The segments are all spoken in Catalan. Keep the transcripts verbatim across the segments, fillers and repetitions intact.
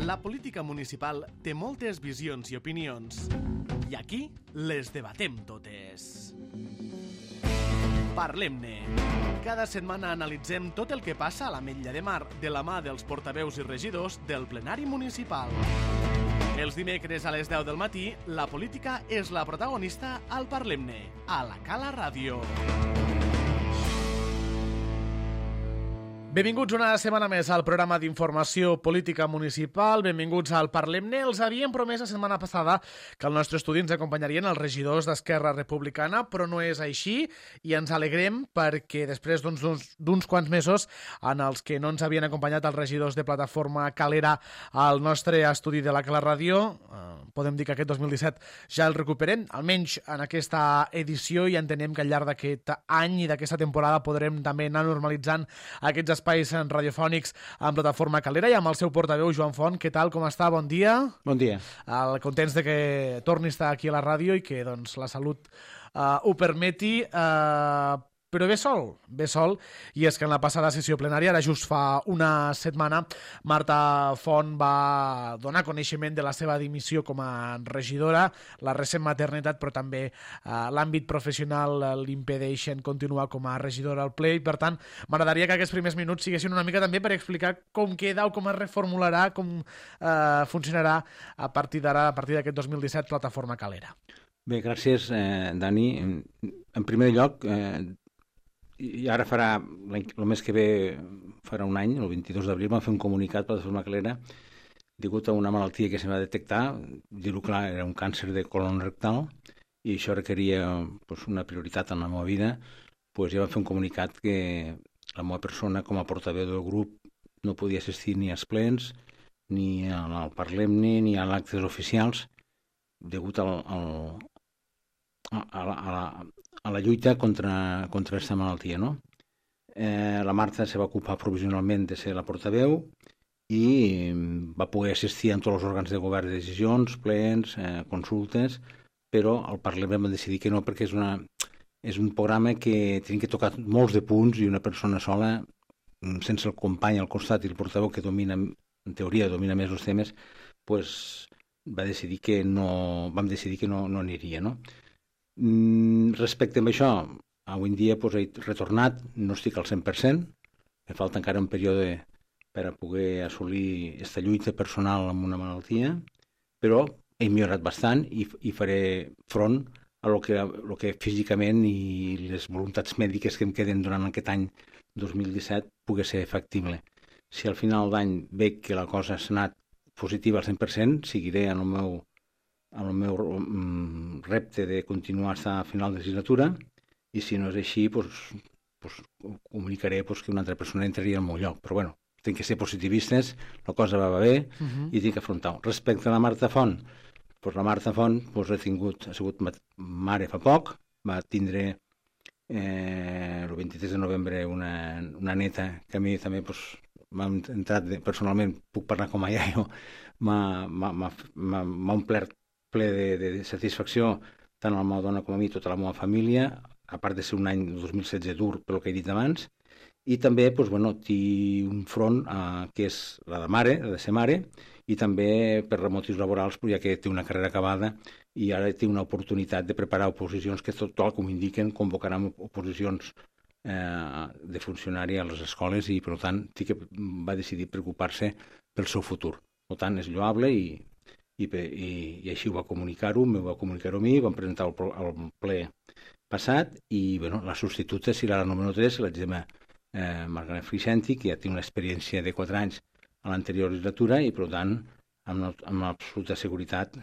La política municipal té moltes visions i opinions. I aquí les debatem totes. Parlem-ne. Cada setmana analitzem tot el que passa a l'Ametlla de Mar de la mà dels portaveus i regidors del plenari municipal. Els dimecres a les deu del matí, la política és la protagonista al Parlem-ne, a la Cala Ràdio. Benvinguts una setmana més al programa d'informació política municipal. Benvinguts al Parlem-ne. Els havíem promès la setmana passada que al nostre estudi ens acompanyarien els regidors d'Esquerra Republicana, però no és així i ens alegrem perquè després d'uns, d'uns quants mesos en els que no ens havien acompanyat els regidors de Plataforma Calera al nostre estudi de la Cala Ràdio, eh, podem dir que aquest dos mil disset ja el recuperem, almenys en aquesta edició, i entenem que al llarg d'aquest any i d'aquesta temporada podrem també anar normalitzant aquests espais espais radiofònics en Plataforma Calera i amb el seu portaveu, Joan Font. Què tal, com està? Bon dia. Bon dia. El, contents de que torni a estar aquí a la ràdio i que doncs, la salut uh, ho permeti, uh, però ve sol, ve sol, i és que en la passada sessió plenària, ara just fa una setmana, Marta Font va donar coneixement de la seva dimissió com a regidora, la recent maternitat, però també eh, l'àmbit professional l'impedeixen continuar com a regidora al ple, i per tant m'agradaria que aquests primers minuts siguessin una mica també per explicar com queda o com es reformularà, com eh, funcionarà a partir d'ara, a partir d'aquest dos mil disset, Plataforma Calera. Bé, gràcies, eh, Dani. En, en primer lloc, eh, i ara farà, el mes que ve farà un any, el vint-i-dos d'abril, vam fer un comunicat per la Plataforma Calera degut a una malaltia que se va detectar, dir-ho clar, era un càncer de colon rectal, i això requeria pues, una prioritat en la meva vida. Pues ja vam fer un comunicat que la meva persona com a portaveu del grup no podia assistir ni als plens, ni al Parlem-ne, ni a actes oficials, degut al, al, a, la, a, la, a la lluita contra, contra aquesta malaltia, no? Eh, la Marta se va ocupar provisionalment de ser la portaveu i va poder assistir a tots els òrgans de govern de decisions, plens, eh, consultes, però al Parlament va decidir que no, perquè és, una, és un programa que tenim que tocar molts de punts i una persona sola, sense el company al costat i el portaveu que domina, en teoria domina més els temes, pues, va decidir que no, vam decidir que no, no aniria, no? Respecte a això, avui en dia pues, he retornat, no estic al cent per cent, em falta encara un període per a poder assolir aquesta lluita personal amb una malaltia, però he millorat bastant i, i faré front a lo que, lo que físicament i les voluntats mèdiques que em queden durant aquest any dos mil disset pugui ser factible. Si al final d'any veig que la cosa s'ha anat positiva al cent per cent, seguiré en el meu el meu um, repte de continuar fins a final de legislatura, i si no és així, pues, pues, comunicaré pues, que una altra persona entraria al meu lloc. Però bueno, tinc que ser positivistes, la cosa va bé uh-huh. i tinc que afrontar-ho. Respecte a la Marta Font, pues, la Marta Font pues, ha, tingut, ha sigut mare fa poc, va tindre eh, el vint-i-tres de novembre una, una neta que a mi també pues, m'ha entrat de, personalment, puc parlar com a iaio, m'ha omplert ple de, de satisfacció tant a la meva dona com a mi, tota la meva família, a part de ser un any dos mil setze dur pel que he dit abans, i també pues, bueno, té un front eh, que és la de mare, la de ser mare, i també per motius laborals, ja que té una carrera acabada i ara té una oportunitat de preparar oposicions que tot el com indiquen convocaran oposicions eh, de funcionari a les escoles i per tant sí que va decidir preocupar-se pel seu futur. Per tant és lloable i I, i, i així ho va comunicar-ho, m'ho va comunicar-ho a mi, vam presentar el, el ple passat i bueno, la substituta serà la número tres, la Gemma eh, Margaret Fricenti, que ja té una experiència de quatre anys a l'anterior legislatura i per tant amb, amb absoluta seguretat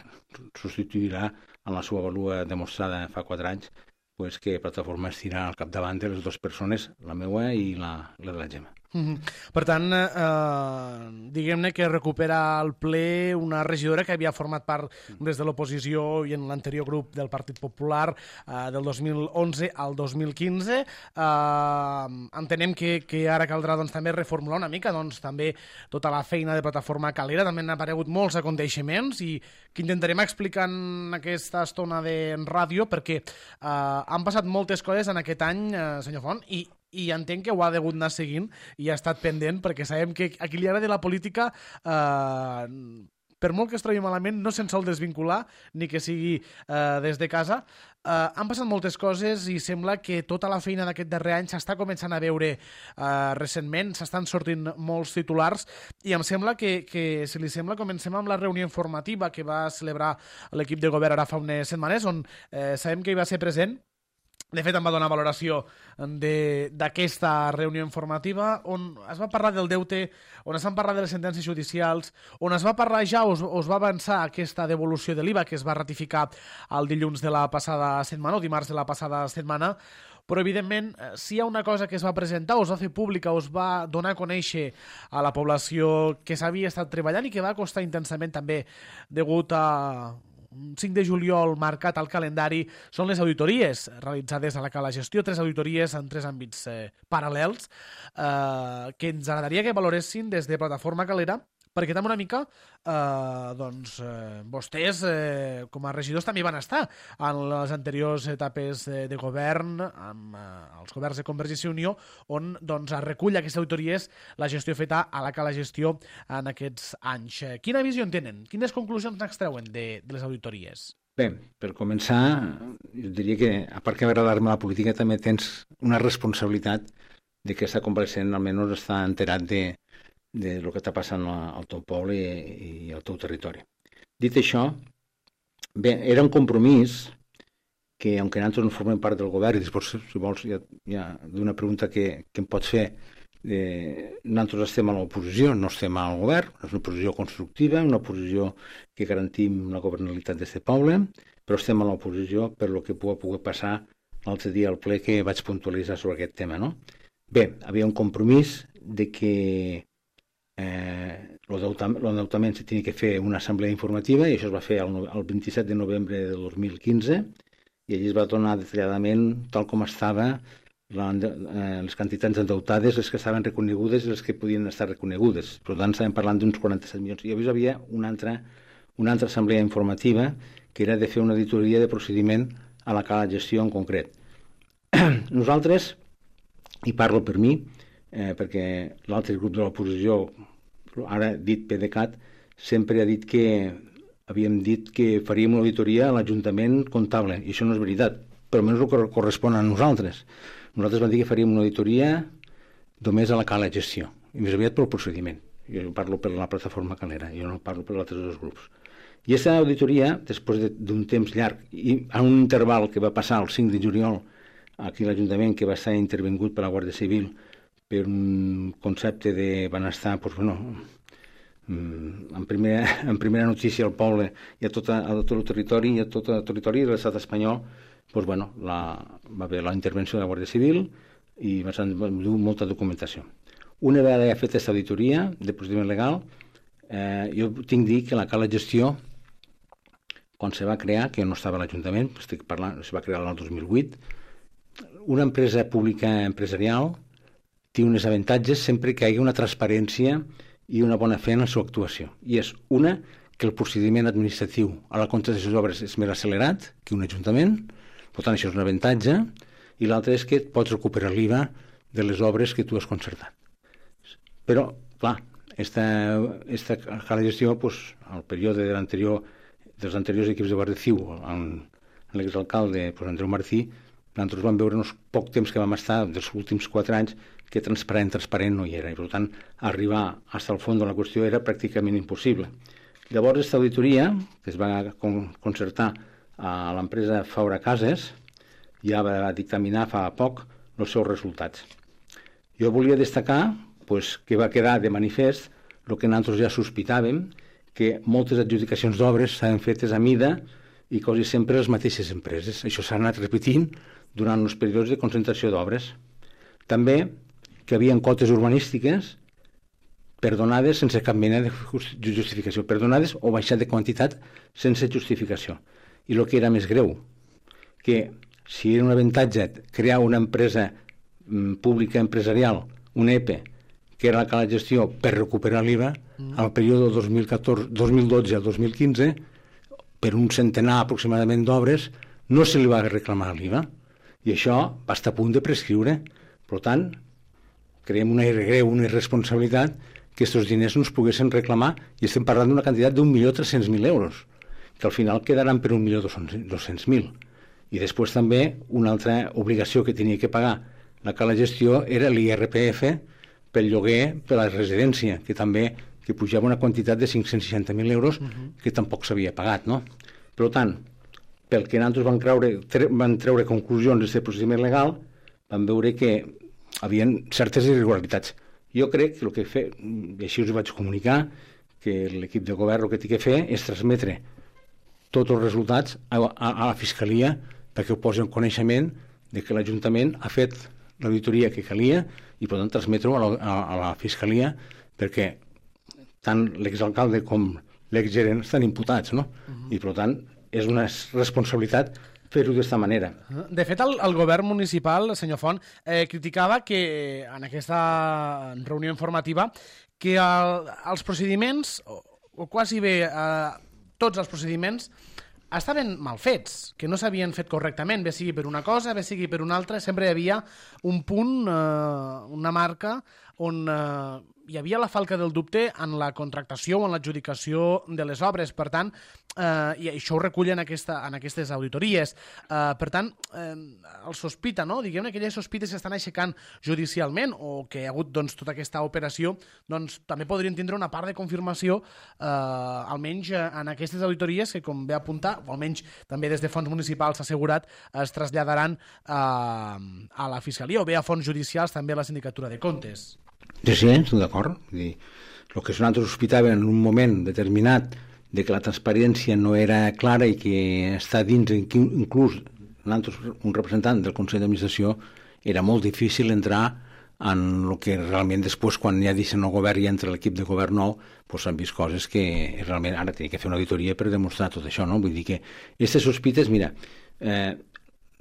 substituirà en la seva valua demostrada fa quatre anys pues, que Plataforma estirà al capdavant de les dues persones, la meva i la, la de la Gemma. Mm-hmm. Per tant, eh, diguem-ne que recupera al ple una regidora que havia format part des de l'oposició i en l'anterior grup del Partit Popular eh, del dos mil onze al dos mil quinze. Eh, entenem que, que ara caldrà doncs, també reformular una mica doncs, també tota la feina de Plataforma Calera. També han aparegut molts aconteixements i que intentarem explicar en aquesta estona de ràdio perquè eh, han passat moltes coses en aquest any, eh, senyor Font, i i entenc que ho ha degut anar seguint i ha estat pendent, perquè sabem que a qui li agrada la política, eh, per molt que es trobi malament, no se'n sol desvincular, ni que sigui eh, des de casa. Eh, han passat moltes coses i sembla que tota la feina d'aquest darrer any s'està començant a veure eh, recentment, s'estan sortint molts titulars, i em sembla que, que, si li sembla, comencem amb la reunió informativa que va celebrar l'equip de govern ara fa unes setmanes, on eh, sabem que hi va ser present. De fet, em va donar valoració d'aquesta reunió informativa on es va parlar del deute, on es van parlar de les sentències judicials, on es va parlar ja, o es va avançar aquesta devolució de l'I V A que es va ratificar el dilluns de la passada setmana, o dimarts de la passada setmana, però evidentment si hi ha una cosa que es va presentar o es va fer pública o es va donar a conèixer a la població que s'havia estat treballant i que va costar intensament també degut a cinc de juliol marcat al calendari, són les auditories realitzades a la Cala Gestió, tres auditories en tres àmbits eh, paral·lels eh, que ens agradaria que valoressin des de Plataforma Calera, perquè també una mica eh, doncs, eh, vostès eh, com a regidors també van estar en les anteriors etapes de, de govern amb eh, els governs de Convergència i Unió, on doncs, es recull aquestes auditories, la gestió feta a la Cala Gestió en aquests anys. Quina visió en tenen? Quines conclusions n'extreuen de, de les auditories? Bé, per començar, jo diria que, a part que agradar-me la política, també tens una responsabilitat de que aquesta compareixent almenys està enterat de de lo que està passant al teu poble i, i al teu territori. Dit això, bé, era un compromís que, aunque nosaltres no formem part del govern, i després, si vols, hi ha, hi ha d'una pregunta que, que em pots fer, eh, nosaltres estem a l'oposició, no estem al govern, és una oposició constructiva, una oposició que garantim la governabilitat d'aquest poble, però estem a l'oposició per lo que pugui poder passar l'altre dia al ple que vaig puntualitzar sobre aquest tema, no? Bé, havia un compromís de que Eh, l'endeutament se tenia que fer una assemblea informativa i això es va fer el, el vint-i-set de novembre de dos mil quinze i allí es va donar detalladament tal com estava la, eh, les quantitats endeutades, les que estaven reconegudes i les que podien estar reconegudes. Per tant, estàvem parlant d'uns quaranta-set milions. I llavors hi havia una altra, una altra assemblea informativa que era de fer una auditoria de procediment a la Cala Gestió en concret. Nosaltres, i parlo per mi, Eh, perquè l'altre grup de l'oposició, ara dit PDeCAT, sempre ha dit que havíem dit que faríem una auditoria a l'Ajuntament comptable, i això no és veritat, però almenys el que correspon a nosaltres. Nosaltres vam dir que faríem una auditoria només a la Cala Gestió, i més aviat pel procediment. Jo parlo per la Plataforma Calera, jo no parlo per altres dos grups. I aquesta auditoria, després d'un temps llarg, i a un interval que va passar el cinc de juliol aquí a l'Ajuntament, que va estar intervingut per la Guàrdia Civil, per un concepte de benestar, doncs, bueno, en primera, en primera notícia al poble i a tot, a tot el territori i a tot el territori de l'estat espanyol, doncs, bueno, la, va haver la intervenció de la Guàrdia Civil i va dur molta documentació. Una vegada ja feta aquesta auditoria de procediment legal, eh, jo tinc dir que la Cala Gestió, quan se va crear, que no estava a l'Ajuntament, estic parlant, se va crear l'any dos mil vuit, una empresa pública empresarial té uns avantatges sempre que hi hagi una transparència i una bona fe en la seva actuació. I és una, que el procediment administratiu a la contractació d'obres és més accelerat que un ajuntament, per tant això és un avantatge, i l'altre és que pots recuperar l'I V A de les obres que tu has concertat. Però, clar, esta, esta Cala Gestió, pues, al període de l'anterior, dels anteriors equips de Guàrdia Civil, amb l'exalcalde pues, Andreu Martí, nosaltres vam veure uns poc temps que vam estar, dels últims quatre anys, que transparent, transparent no hi era, i per tant arribar fins al fons de la qüestió era pràcticament impossible. Llavors, aquesta auditoria, que es va concertar a l'empresa Faura Cases, ja va dictaminar fa poc els seus resultats. Jo volia destacar pues, que va quedar de manifest el que nosaltres ja sospitàvem, que moltes adjudicacions d'obres s'han fetes a mida i quasi sempre les mateixes empreses. Això s'ha anat repetint durant els períodes de concentració d'obres. També que hi havia quotes urbanístiques perdonades sense cap mena de justificació, perdonades o baixat de quantitat sense justificació. I el que era més greu, que si era un avantatge crear una empresa pública empresarial, un E P E, que era la Cala Gestió per recuperar l'I V A, mm. al període dos mil catorze, dos mil dotze al dos mil quinze, per un centenar aproximadament d'obres, no se li va reclamar l'I V A. I això va estar a punt de prescriure. Per tant, creiem una greu, una irresponsabilitat que aquests diners no es poguessin reclamar, i estem parlant d'una quantitat d'un milió tres-cents mil euros, que al final quedaran per un milió dos-cents mil. I després també una altra obligació que tenia que pagar la Cala Gestió era l'I R P F pel lloguer per la residència, que també que pujava una quantitat de cinc-cents seixanta mil euros uh-huh. que tampoc s'havia pagat, no? Per tant, pel que nosaltres van, creure, tre, van treure conclusions d'aquest procediment legal, vam veure que havien certes irregularitats. Jo crec que el que he fet, i així us ho vaig comunicar, que l'equip de govern el que té que fer és transmetre tots els resultats a, a, a la Fiscalia perquè ho posi en coneixement de que l'Ajuntament ha fet l'auditoria que calia i per tant transmetre-ho a, la, a, a la Fiscalia perquè tant l'exalcalde com l'exgerent estan imputats, no? Uh-huh. I per tant és una responsabilitat fer-ho d'aquesta manera. De fet, el, el govern municipal, senyor Font, eh, criticava que en aquesta reunió informativa que el, els procediments, o, o quasi bé eh, tots els procediments, estaven mal fets, que no s'havien fet correctament, bé sigui per una cosa, bé sigui per una altra, sempre hi havia un punt, eh, una marca, on eh, hi havia la falca del dubte en la contractació o en l'adjudicació de les obres. Per tant, eh, i això ho recullen en, aquesta, en aquestes auditories. Eh, per tant, eh, el sospita, no? Diguem-ne que aquelles sospites s'estan aixecant judicialment o que hi ha hagut doncs, tota aquesta operació, doncs també podrien tindre una part de confirmació, eh, almenys en aquestes auditories que, com ve a apuntar, o almenys també des de fons municipals s'ha assegurat, es traslladaran eh, a la Fiscalia o bé a fons judicials també a la Sindicatura de Comptes. Sí, sí, estic d'acord. El que nosaltres sospitàvem en un moment determinat de que la transparència no era clara i que està dins, inclús nosaltres, un representant del Consell d'Administració, era molt difícil entrar en el que realment després, quan ja deixen el govern i entra l'equip de govern nou, doncs s'han vist coses que realment ara tenia que fer una auditoria per demostrar tot això, no? Vull dir que aquestes sospites, mira, eh,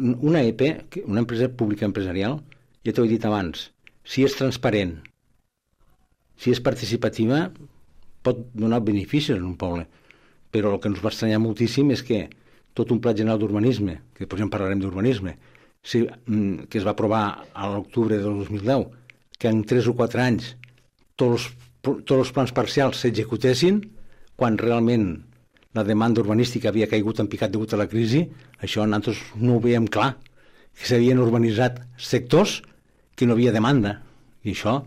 una E P, una empresa pública empresarial, ja t'ho he dit abans, si és transparent, si és participativa, pot donar beneficis en un poble. Però el que ens va estranyar moltíssim és que tot un pla general d'urbanisme, que després en parlarem d'urbanisme, si, que es va aprovar a l'octubre del dos mil deu, que en tres o quatre anys tots els, tots els plans parcials s'executessin, quan realment la demanda urbanística havia caigut en picat degut a la crisi, això nosaltres no ho veiem clar, que s'havien urbanitzat sectors que no havia demanda. I això,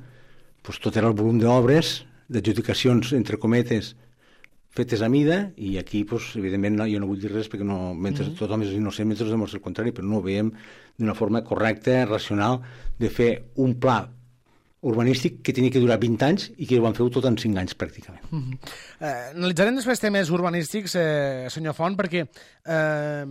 doncs, tot era el volum d'obres, d'adjudicacions, entre cometes, fetes a mida, i aquí, doncs, evidentment, no, jo no vull dir res perquè no, mentre mm-hmm. tothom és innocent, mentre es demostra el contrari, però no ho veiem d'una forma correcta, racional, de fer un pla urbanístic que tenia que durar vint anys i que ho van fer tot en cinc anys, pràcticament. Mm-hmm. eh, analitzarem després temes urbanístics, eh, senyor Font, perquè eh,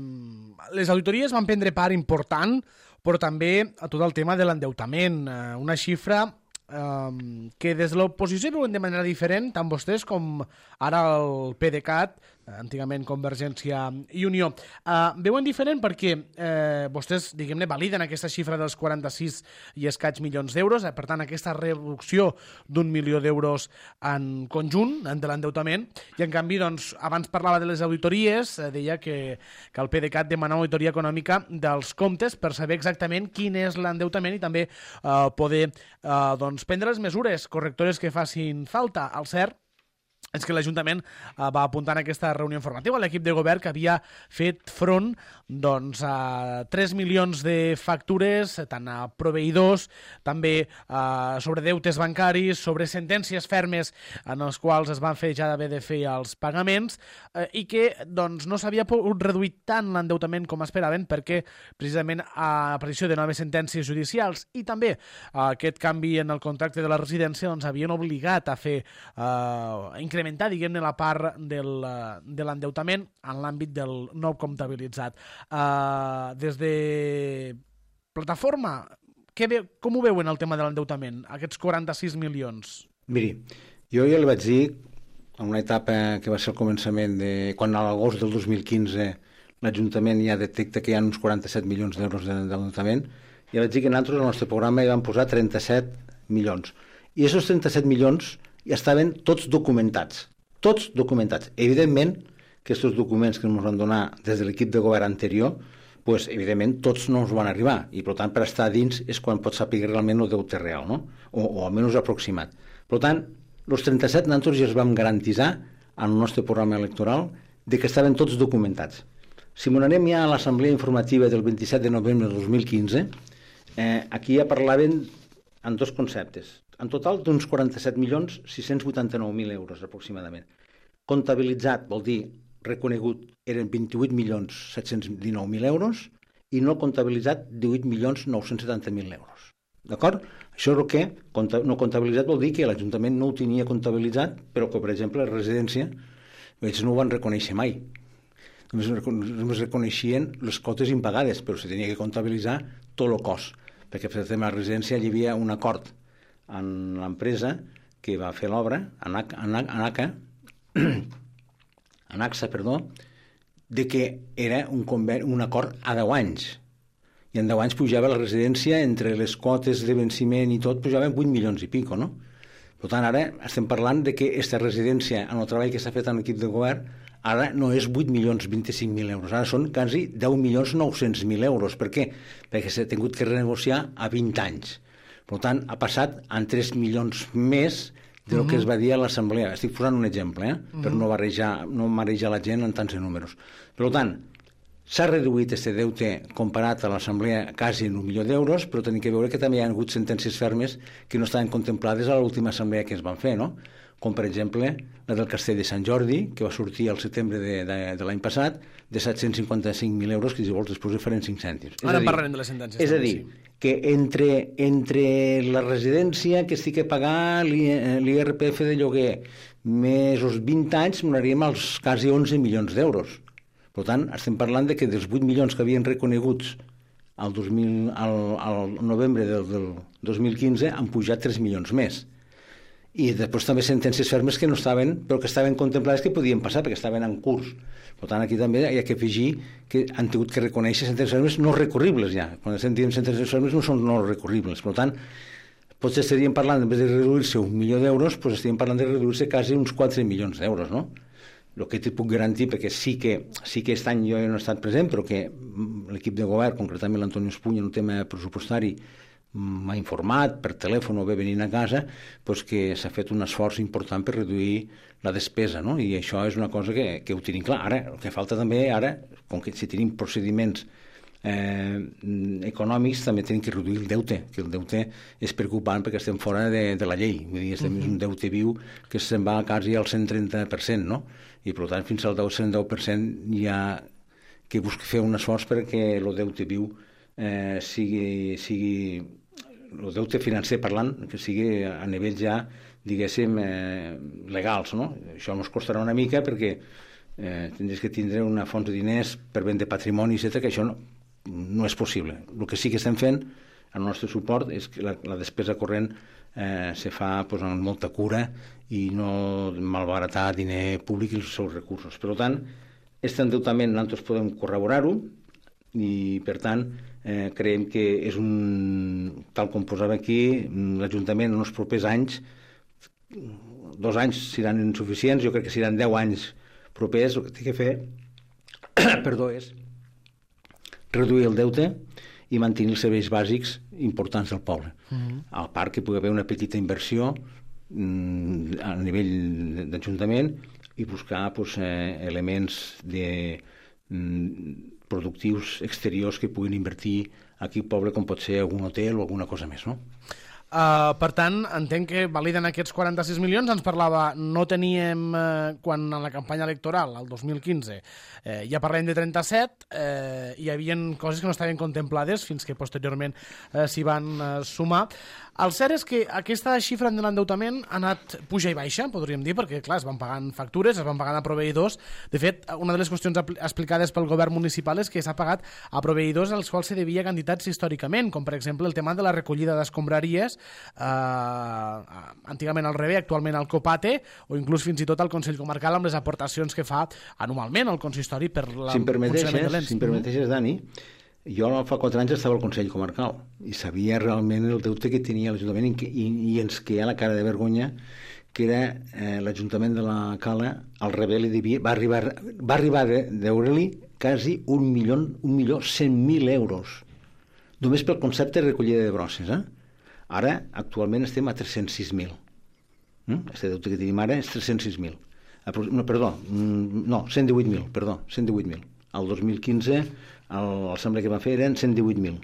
les auditories van prendre part important, però també a tot el tema de l'endeutament, eh, una xifra Um, que des de l'oposició veuen de manera diferent, tant vostès com ara el PDeCAT, antigament Convergència i Unió. Uh, veuen diferent perquè eh, vostès, diguem-ne, validen aquesta xifra dels quaranta-sis i escaig milions d'euros, eh, per tant, aquesta reducció d'un milió d'euros en conjunt, de l'endeutament, i en canvi, doncs, abans parlava de les auditories, eh, deia que, que el PDeCAT demana una auditoria econòmica dels comptes per saber exactament quin és l'endeutament i també eh, poder eh, doncs, prendre les mesures correctores que facin falta. Al cert és que l'Ajuntament eh, va apuntar en aquesta reunió informativa a l'equip de govern que havia fet front doncs, a tres milions de factures, tant a proveïdors, també eh, sobre deutes bancaris, sobre sentències fermes en els quals es van fer ja d'haver de fer els pagaments, eh, i que doncs, no s'havia pogut reduir tant l'endeutament com esperaven perquè precisament a l'aparició de noves sentències judicials i també eh, aquest canvi en el contracte de la residència doncs, havien obligat a fer eh, incrementar, diguem-ne, la part del, de l'endeutament en l'àmbit del nou comptabilitzat. Uh, des de plataforma, què ve, com ho veuen el tema de l'endeutament, aquests quaranta-sis milions? Miri, jo ja li vaig dir en una etapa que va ser el començament de quan a l'agost del dos mil quinze l'Ajuntament ja detecta que hi ha uns quaranta-set milions d'euros d'endeutament, ja vaig dir que nosaltres al nostre programa hi vam posar trenta-set milions. I aquests trenta-set milions ja estaven tots documentats. Tots documentats. Evidentment que aquests documents que ens van donar des de l'equip de govern anterior pues, evidentment, tots no ens van arribar, i, per tant, per estar dins és quan pots saber realment el deute real, no? O, o almenys aproximat. Per tant, els trenta-set nosaltres ja es vam garantitzar en el nostre programa electoral de que estaven tots documentats. Si m'ho anem ja a l'assemblea informativa del vint-i-set de novembre de dos mil quinze, eh, aquí ja parlaven en dos conceptes. En total d'uns quaranta-set milions sis-cents vuitanta-nou mil euros aproximadament. Comptabilitzat vol dir reconegut eren vint-i-vuit milions set-cents dinou mil euros i no comptabilitzat divuit milions nou-cents setanta mil euros. D'acord? Això és el que no comptabilitzat vol dir que l'Ajuntament no ho tenia comptabilitzat, però que, per exemple, la residència ells no ho van reconèixer mai. Només, només reconeixien les cotes impagades, però se tenia que comptabilitzar tot el cost, perquè per exemple a la residència hi havia un acord en l'empresa que va fer l'obra, ANACA, ANACSA, perdó, de que era un, conveni, un acord a deu anys. I en deu anys pujava la residència, entre les quotes de venciment i tot, pujaven vuit milions i pico, no? Per tant, ara estem parlant de que aquesta residència, en el treball que s'ha fet en l'equip de govern, ara no és vuit milions vint-i-cinc mil euros, ara són quasi deu milions nou-cents mil euros. Per què? Perquè s'ha tingut que renegociar a vint anys. Per tant, ha passat en tres milions més del uh-huh. que es va dir a l'assemblea. Estic posant un exemple, eh? Uh-huh. per no barrejar, no marejar la gent en tants números. Per tant, s'ha reduït aquest deute comparat a l'assemblea quasi en un milió d'euros, però tenim que veure que també hi ha hagut sentències fermes que no estaven contemplades a l'última assemblea que es van fer, no? Com per exemple la del Castell de Sant Jordi, que va sortir al setembre de, de, de l'any passat, de set-cents cinquanta-cinc mil euros, que si vols després farem cinc cèntims. Ara en parlarem de les sentències. És a dir, que entre, entre la residència que estic a pagar, l'I R P F de lloguer, més els vint anys, m'agradaríem als quasi onze milions d'euros. Per tant, estem parlant de que dels vuit milions que havien reconeguts al, dos mil, al, al novembre del, del dos mil quinze han pujat tres milions més. I després també sentències fermes que no estaven, però que estaven contemplades que podien passar, perquè estaven en curs. Per tant, aquí també hi ha que afegir que han tingut que reconèixer sentències fermes no recurribles ja. Quan sentim sentències fermes no són no recurribles. Per tant, potser estaríem parlant, en vez de reduir-se un milió d'euros, doncs estaríem parlant de reduir-se quasi uns quatre milions d'euros, no? El que t'hi puc garantir, perquè sí que, sí que aquest any jo no he estat present, però que l'equip de govern, concretament l'Antonio Espuña, en un tema pressupostari, m'ha informat per telèfon o bé venint a casa, doncs que s'ha fet un esforç important per reduir la despesa, no? I això és una cosa que, que ho tenim clar. Ara, el que falta també, ara, com que si tenim procediments eh, econòmics, també tenim que reduir el deute, que el deute és preocupant perquè estem fora de, de la llei. Vull dir, estem uh-huh. un deute viu que se'n va quasi al cent trenta per cent, no? I, per tant, fins al cent deu per cent hi ha que buscar fer un esforç perquè el deute viu eh, sigui... sigui el deute financer parlant, que sigui a nivell ja, diguéssim, eh, legals, no? Això ens costarà una mica perquè eh, tindries que tindre una font de diners per vendre patrimoni, etcètera, que això no, no és possible. El que sí que estem fent, el nostre suport, és que la, la despesa corrent eh, se fa pues, amb molta cura i no malbaratar diner públic i els seus recursos. Per tant, aquest endeutament nosaltres podem corroborar-ho i, per tant, Eh, creiem que és un, tal com posava aquí, l'Ajuntament en els propers anys, dos anys seran insuficients, jo crec que seran deu anys propers, el que té que fer perdó, és reduir el deute i mantenir els serveis bàsics importants del poble. Uh-huh. Al part que pugui haver una petita inversió mm, a nivell d'Ajuntament i buscar pues, eh, elements de mm, productius exteriors que puguin invertir aquí al poble, com pot ser algun hotel o alguna cosa més, no? Uh, per tant, entenc que validen aquests quaranta-sis milions. Ens parlava, no teníem, eh, quan en la campanya electoral, el dos mil quinze, eh, ja parlem de trenta-set, eh, hi havia coses que no estaven contemplades fins que posteriorment eh, s'hi van eh, sumar. El cert és que aquesta xifra de l'endeutament ha anat puja i baixa, podríem dir, perquè, clar, es van pagant factures, es van pagant a proveïdors. De fet, una de les qüestions explicades pel govern municipal és que s'ha pagat a proveïdors als quals se devia quantitats històricament, com per exemple el tema de la recollida d'escombraries, eh, antigament al Rebe, actualment al Copate, o inclús fins i tot al Consell Comarcal amb les aportacions que fa anualment al consistori per la si funcionament de l'ens. Si em permeteixes, Dani, jo fa quatre anys estava al Consell Comarcal i sabia realment el deute que tenia l'Ajuntament i, i, i ens queia la cara de vergonya que era eh, l'Ajuntament de la Cala, al rebé li devia, va arribar, va arribar a deure-li quasi un milió, un milió cent mil euros, només pel concepte de recollida de brosses. Eh? Ara, actualment, estem a tres-cents sis mil. Mm? Este deute que tenim ara és tres-cents sis mil. No, perdó, no, cent divuit mil, perdó, cent divuit mil. El dos mil quinze, l'assemblea que va fer eren cent divuit mil.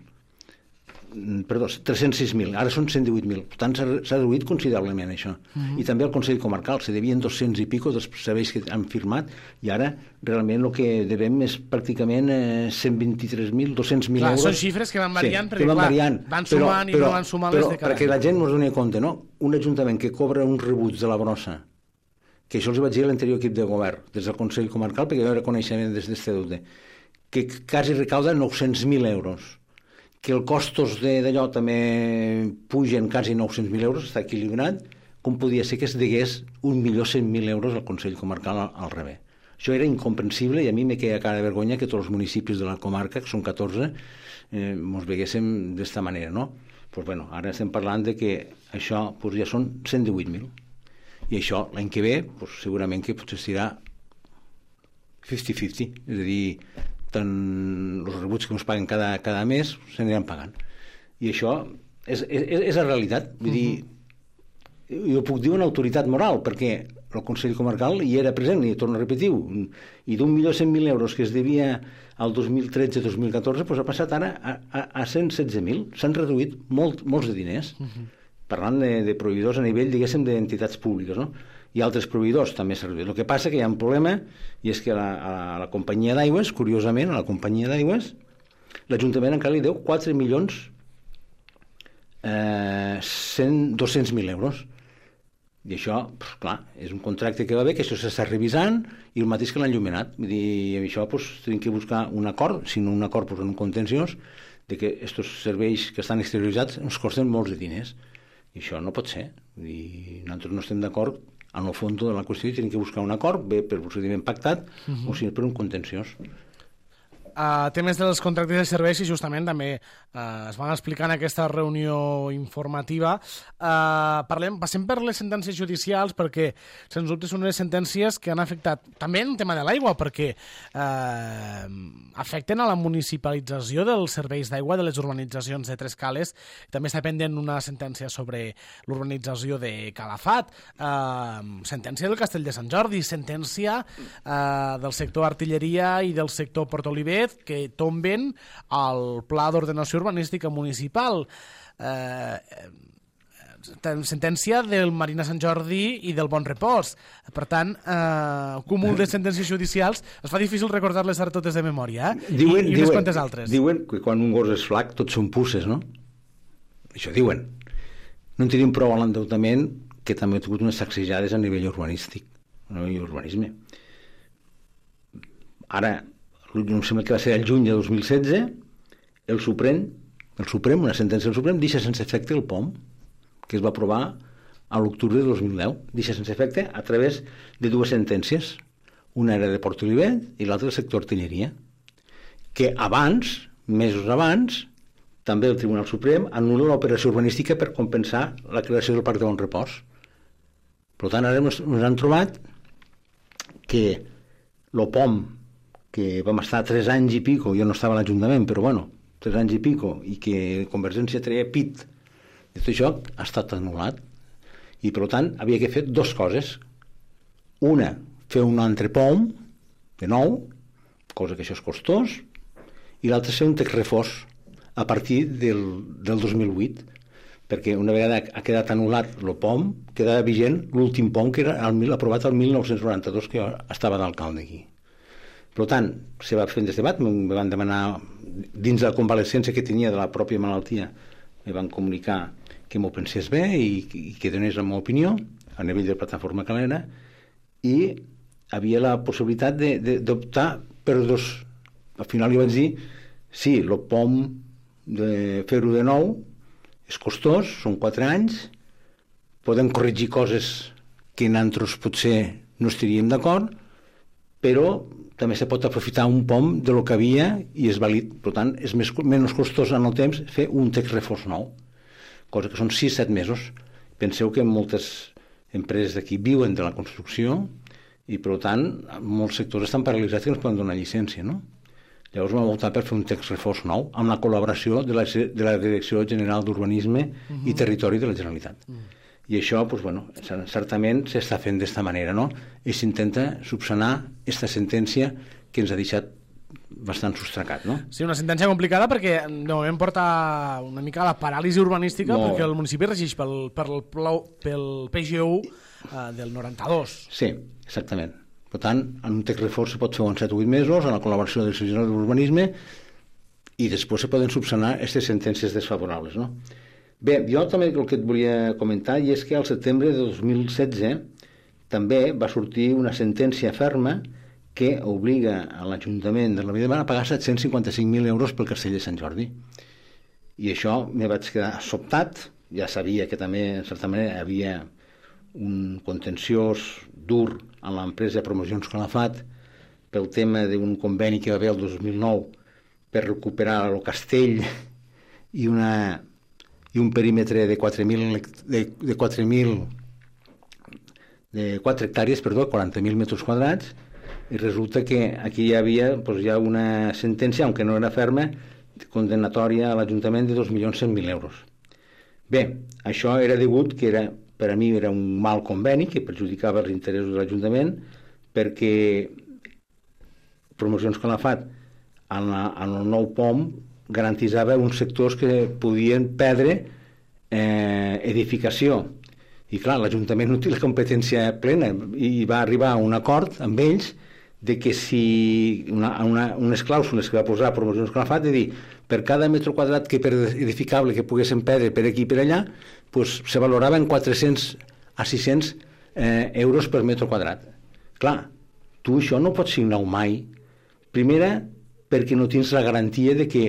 Perdó, tres-cents sis mil, ara són cent divuit mil. Per tant, s'ha reduït considerablement això. Uh-huh. I també el Consell Comarcal, se devien dos-cents i pico dels serveis que han firmat, i ara realment el que devem és pràcticament eh, cent vint-i-tres mil, dos-cents mil euros. Són xifres que van variant, sí, perquè van, clar, variant, van sumant però, i però, no van sumant però, les de cada perquè la gent no es doni compte, no? Un ajuntament que cobra un rebuig de la brossa, que això els vaig dir a l'anterior equip de govern, des del Consell Comarcal, perquè jo era coneixement des d'este deute, que quasi recauda nou-cents mil euros, que els costos d'allò també pugen quasi nou-cents mil euros, està equilibrat, com podia ser que es degués un milió cent mil euros al Consell Comarcal al, al rebé. Això era incomprensible i a mi me queda cara de vergonya que tots els municipis de la comarca, que són catorze, eh, mos veguéssim d'esta manera, no? Pues bueno, ara estem parlant de que això pues ja són cent divuit mil. I això, l'any que ve, pues, segurament que potser serà cinquanta cinquanta, és a dir, tant els rebuts que ens paguen cada, cada mes s'aniran pagant. I això és, és, és la realitat. Vull dir, jo puc dir una autoritat moral, perquè el Consell Comarcal hi era present, i torno a repetir, i d'un milió cent mil euros que es devia al dos mil tretze dos mil catorze, doncs ha passat ara a, a, a cent setze mil. S'han reduït molt, molts de diners. Uh-huh. Parlant de, de proveïdors a nivell, diguéssim, d'entitats públiques, no? I altres proveïdors també s'ha reduït. El que passa que hi ha un problema, i és que a la, a la companyia d'aigües, curiosament, a la companyia d'aigües, l'Ajuntament encara li deu quatre milions eh, dos-cents mil euros. I això, pues, clar, és un contracte que va bé, que això s'està revisant, i el mateix que l'han enllumenat. Vull dir, i això pues, tenim que buscar un acord, si no un acord, pues, en un contenciós, de que aquests serveis que estan exterioritzats ens costen molts de diners. I això no pot ser. Vull dir, nosaltres no estem d'acord en el fons de la qüestió i tenim que buscar un acord, bé per procediment pactat, uh-huh. o si no per un contenciós. Uh, temes dels contractes de serveis i justament també uh, es van explicar en aquesta reunió informativa. Uh, parlem, passem per les sentències judicials perquè, sens dubte, són unes sentències que han afectat també en el tema de l'aigua, perquè uh, afecten a la municipalització dels serveis d'aigua de les urbanitzacions de Tres Cales. També està pendent una sentència sobre l'urbanització de Calafat, uh, sentència del Castell de Sant Jordi, sentència uh, del sector artilleria i del sector Port Olivet, que tomben al Pla d'Ordenació Urbanística Municipal. Eh, sentència del Marina Sant Jordi i del Bon Repòs. Per tant, eh, cúmul de sentències judicials, es fa difícil recordar-les ara totes de memòria, eh? Diuen, I, i diuen, unes quantes altres. Diuen que quan un gos és flac tots són puces, no? Això diuen. No en tenim prou a l'endeutament, que també ha tingut unes sacsejades a nivell urbanístic, a nivell urbanisme. Ara, em sembla que va ser el juny de dos mil setze, el Suprem, el Suprem, una sentència del Suprem, deixa sense efecte el P O M, que es va aprovar a l'octubre de dos mil deu. Deixa sense efecte a través de dues sentències. Una era de Port Olivet i l'altra del sector artilleria, que abans, mesos abans, també el Tribunal Suprem anul·la l'operació urbanística per compensar la creació del Parc de Bon Repòs. Per tant, ara ens han trobat que el P O M, que vam estar tres anys i pico, jo no estava a l'Ajuntament, però bueno, tres anys i pico, i que Convergència treia pit de tot això, ha estat anul·lat. I per tant havia que fer dues coses. Una, fer un altre P O M, de nou, cosa que això és costós, i l'altra fer un text reforç a partir del, del dos mil vuit, perquè una vegada ha quedat anul·lat el P O M, quedava vigent l'últim P O M que era el, aprovat el mil nou-cents noranta-dos, que jo estava d'alcalde aquí. Per tant, se va fer aquest debat, me van demanar, dins de la convalescència que tenia de la pròpia malaltia, me van comunicar que m'ho pensés bé i, i que donés la meva opinió a nivell de plataforma calera, i havia la possibilitat d'optar per dos. Al final li vaig dir, sí, el P O M de fer-ho de nou és costós, són quatre anys, podem corregir coses que nosaltres potser no estaríem d'acord, però també se pot aprofitar un P O M de lo que havia i és vàlid. Per tant, és més, menys costós en el temps fer un text reforç nou, cosa que són sis set mesos. Penseu que en moltes empreses d'aquí viuen de la construcció i, per tant, molts sectors estan paralitzats que no es poden donar llicència, no? Llavors vam optar per fer un text reforç nou amb la col·laboració de la, de la Direcció General d'Urbanisme uh-huh. i Territori de la Generalitat. Uh-huh. I això, doncs, bueno, certament s'està fent d'esta manera, no? I s'intenta subsanar aquesta sentència que ens ha deixat bastant sostracat, no? Sí, una sentència complicada perquè de moment porta una mica a la paràlisi urbanística no. perquè el municipi regeix pel, pel, pel P G U eh, del noranta-dos. Sí, exactament. Per tant, en un text reforç se pot fer en set o vuit mesos, en la col·laboració del Servei General d'Urbanisme, i després se poden subsanar aquestes sentències desfavorables, no? Bé, jo també el que et volia comentar i és que al setembre de dos mil setze també va sortir una sentència ferma que obliga a l'Ajuntament de la Vila de Mar a pagar set-cents cinquanta-cinc mil euros pel Castell de Sant Jordi. I això me vaig quedar sobtat, ja sabia que també, en certa manera, hi havia un contenciós dur en l'empresa de Promocions Calafat pel tema d'un conveni que va haver el dos mil nou per recuperar el castell i, una, i un perímetre de quatre mil de, de quatre mil de quatre hectàrees, perdó, quaranta mil metres quadrats, i resulta que aquí hi havia doncs, ja una sentència, aunque no era ferma, condenatòria a l'Ajuntament de dos milions cent mil euros. Bé, això era degut que era, per a mi era un mal conveni que perjudicava els interessos de l'Ajuntament perquè Promocions Calafat en, la, en el nou P O M garantitzava uns sectors que podien perdre eh, edificació. I clar, l'Ajuntament no té la competència plena i va arribar a un acord amb ells de que si una, una, unes clàusules que va posar Promocions Calafat de dir per cada metre quadrat que per edificable que poguessin perdre per aquí i per allà pues, se valorava en quatre-cents a sis-cents eh, euros per metre quadrat. Clar, tu això no pots signar mai. Primera, perquè no tens la garantia de que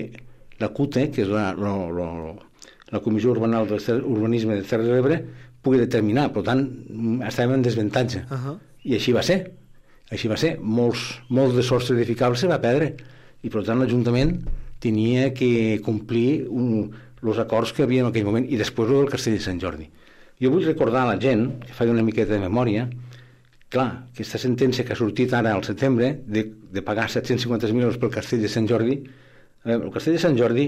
la C U T E, que és la, la, la, la Comissió Urbanal del Urbanisme de Terres de l'Ebre, pugui determinar. Per tant, estàvem en desventatge. Uh-huh. I així va ser. Així va ser. Molts, molts de sostres edificables se va perdre. I per tant l'Ajuntament tenia que complir els acords que havia en aquell moment i després el Castell de Sant Jordi. Jo vull recordar a la gent, que faci una miqueta de memòria, clar, aquesta sentència que ha sortit ara al setembre de, de pagar set-cents cinquanta mil euros pel Castell de Sant Jordi, eh, el Castell de Sant Jordi,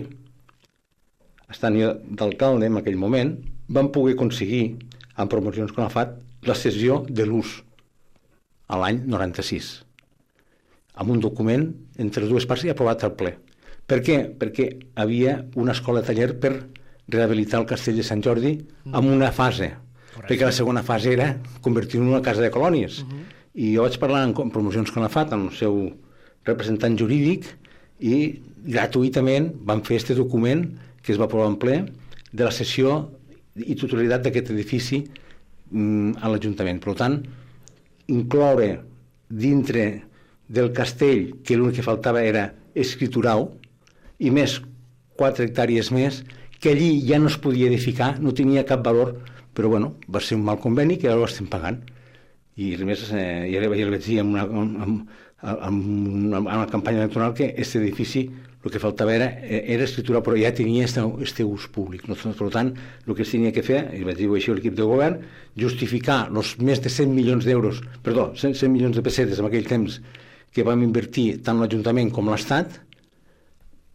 estant jo d'alcalde en aquell moment, van poder aconseguir, amb Promocions Calafat, la cessió de l'ús a l'any noranta-sis, amb un document entre les dues parts i aprovat al ple. Per què? Perquè havia una escola de taller per rehabilitar el Castell de Sant Jordi en una fase, correcte. Perquè la segona fase era convertir-ho en una casa de colònies. Uh-huh. I jo vaig parlar amb Promocions Calafat, amb el seu representant jurídic, i gratuïtament van fer aquest document que es va aprovar en ple de la cessió i titularitat d'aquest edifici mm, a l'Ajuntament. Per tant, incloure dintre del castell, que l'únic que faltava era escriturar-ho, i més quatre hectàrees més, que allí ja no es podia edificar, no tenia cap valor, però bueno, va ser un mal conveni que ara ho estem pagant. I a més, eh, ja, ja li vaig dir en una, en, en, en una campanya electoral que aquest edifici el que faltava era, era escritura, però ja tenia este ús públic. No? Per tant, el que es tenia que fer, i vaig dir així a l'equip de govern, justificar els més de cent milions d'euros, perdó, cent milions de pessetes en aquell temps que vam invertir tant l'Ajuntament com l'Estat,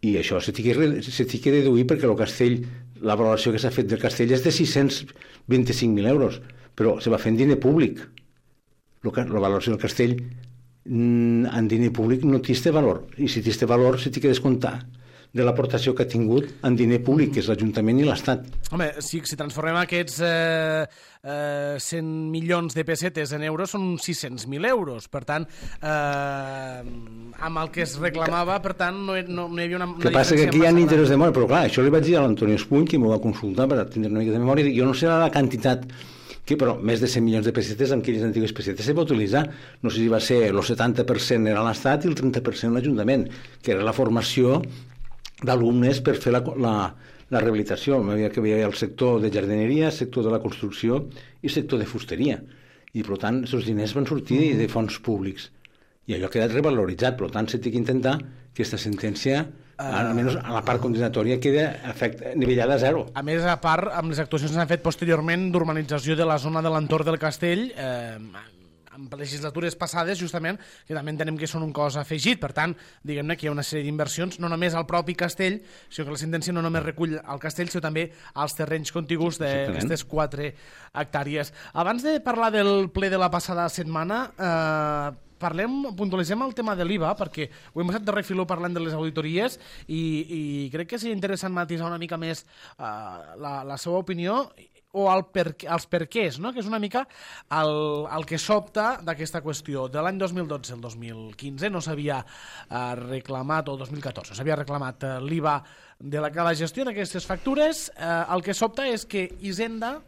i això se t'hi que deduir perquè el castell, la valoració que s'ha fet del castell és de sis-cents vint-i-cinc mil euros, però se va fer en diner públic. La valoració del castell en diner públic no té este valor, i si té este valor se t'hi que descomptar de l'aportació que ha tingut en diner públic, que és l'Ajuntament i l'Estat. Home, si, si transformem aquests eh, eh, cent milions de pessetes en euros són sis-cents mil euros. Per tant, eh, amb el que es reclamava, per tant, no, no, no hi havia una, una que passa que aquí hi ha interès de memòria, però clar, això li vaig dir a l'Antonio Espuny, que m'ho va consultar per tindre una mica de memòria, i jo no sé la quantitat que, però més de cent milions de pessetes amb aquelles antigues pessetes se va utilitzar. No sé si va ser el setanta per cent era l'Estat i el trenta per cent l'Ajuntament, que era la formació d'alumnes per fer la, la, la rehabilitació. Hi havia, que hi havia el sector de jardineria, el sector de la construcció i el sector de fusteria. I, per tant, aquests diners van sortir de fons públics. I allò ha quedat revaloritzat. Per tant, s'ha d'intentar que aquesta sentència almenys a la part condensatòria queda efecte, nivellada a zero. A més, a part, amb les actuacions que s'han fet posteriorment d'urbanització de la zona de l'entorn del castell, eh, amb legislatures passades, justament, que també entenem que són un cos afegit. Per tant, diguem-ne que hi ha una sèrie d'inversions, no només al propi castell, sinó que la sentència no només recull el castell, sinó també als terrenys contigus d'aquestes quatre hectàrees. Abans de parlar del ple de la passada setmana, eh, parlem, puntualitzem el tema de l'I V A, perquè ho hem passat de refiló parlant de les auditories i, i crec que seria interessant matisar una mica més eh, la, la seva opinió o el per, els perquès, no? Que és una mica el, el que sobta d'aquesta qüestió. De l'any dos mil dotze al dos mil quinze no s'havia eh, reclamat, o dos mil catorze, s'havia reclamat eh, l'I V A de la, la gestió d'aquestes factures. Eh, el que sobta és que Hisenda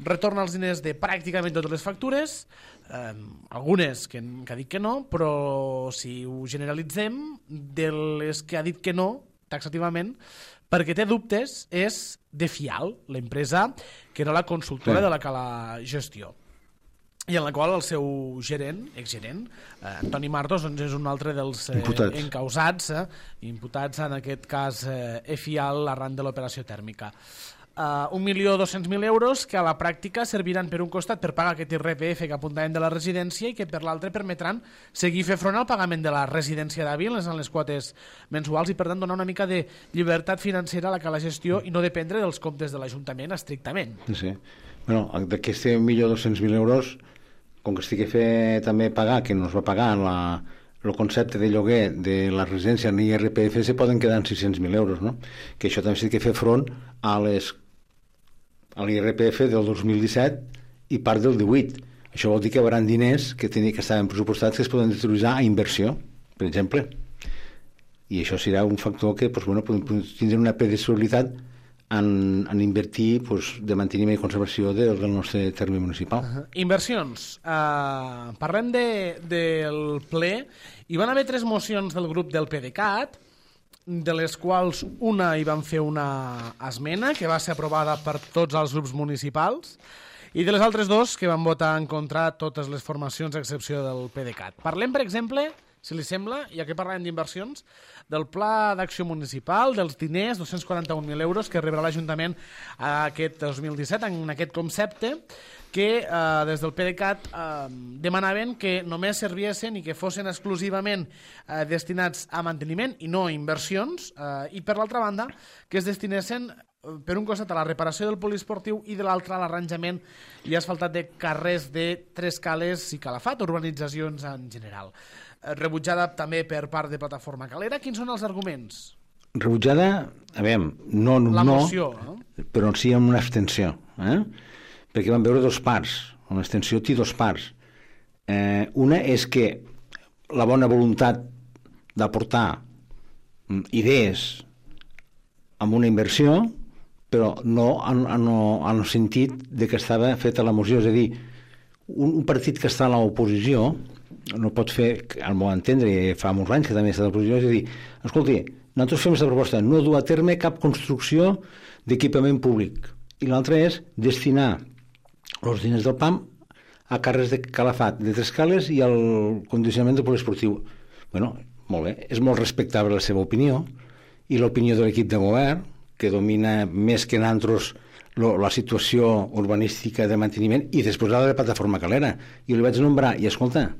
retorna els diners de pràcticament totes les factures, eh, algunes que, que ha dit que no, però si ho generalitzem, de les que ha dit que no, taxativament, perquè té dubtes, és de Fial, l'empresa que era la consultora sí. de la Cala Gestió, i en la qual el seu gerent, exgerent, eh, Antoni Martos, doncs és un altre dels eh, imputats. encausats, eh, imputats en aquest cas eh, Fial arran de l'operació tèrmica. Uh, un milió dos-cents mil euros que a la pràctica serviran per un costat per pagar aquest I R P F que apuntàvem de la residència i que per l'altre permetran seguir fer front al pagament de la residència d'Àvil en les quotes mensuals i per tant donar una mica de llibertat financera a la Cala Gestió i no dependre dels comptes de l'Ajuntament estrictament. Sí. Bueno, d'aquest un milió dos-cents mil euros, com que estigui fet també pagar, que no es va pagar la, el concepte de lloguer de la residència en I R P F, se poden quedar en sis-cents mil euros, no? Que això també s'ha de fer front a les a l'I R P F del dos mil disset i part del divuit. Això vol dir que hi haurà diners que, tenia, que estaven pressupostats que es poden utilitzar a inversió, per exemple. I això serà un factor que pues, bueno, tindrà una predictibilitat en, en invertir pues, de manteniment i conservació de, del nostre terme municipal. Uh -huh. Inversions. Uh, parlem de, del ple. Hi van haver tres mocions del grup del PDeCAT, de les quals una hi van fer una esmena que va ser aprovada per tots els grups municipals i de les altres dos que van votar en contra totes les formacions a excepció del PDeCAT. Parlem, per exemple, si li sembla, ja que parlem d'inversions, del Pla d'Acció Municipal, dels diners, dos-cents quaranta-un mil euros que rebrà l'Ajuntament aquest dos mil disset en aquest concepte que eh, des del PDeCAT eh, demanaven que només serviessin i que fossin exclusivament eh, destinats a manteniment i no a inversions eh, i per l'altra banda que es destinessin per un costat a la reparació del poliesportiu i de l'altre a l'arranjament i asfaltat de carrers de Tres Cales i Calafat, urbanitzacions en general. Rebutjada també per part de Plataforma Calera. Quins són els arguments? Rebutjada, a veure, no, no, la moció, no? Però sí amb una abstenció, eh? Perquè van veure dos parts. Una abstenció té dos parts. Eh, una és que la bona voluntat d'aportar idees amb una inversió, però no en, en, en el sentit de que estava feta la moció. És a dir, un, un partit que està a l'oposició no pot fer, al meu entendre, i fa molts anys que també està a l'oposició, és a dir, escolti, nosaltres fem aquesta proposta, no dur a terme cap construcció d'equipament públic. I l'altra és destinar els diners del P A M a carrers de Calafat, de Tres Cales i al condicionament del poliesportiu. Bueno, molt bé, és molt respectable la seva opinió i l'opinió de l'equip de govern, que domina més que nosaltres la situació urbanística de manteniment i després la de la Plataforma Calera. I li vaig nombrar, i escolta,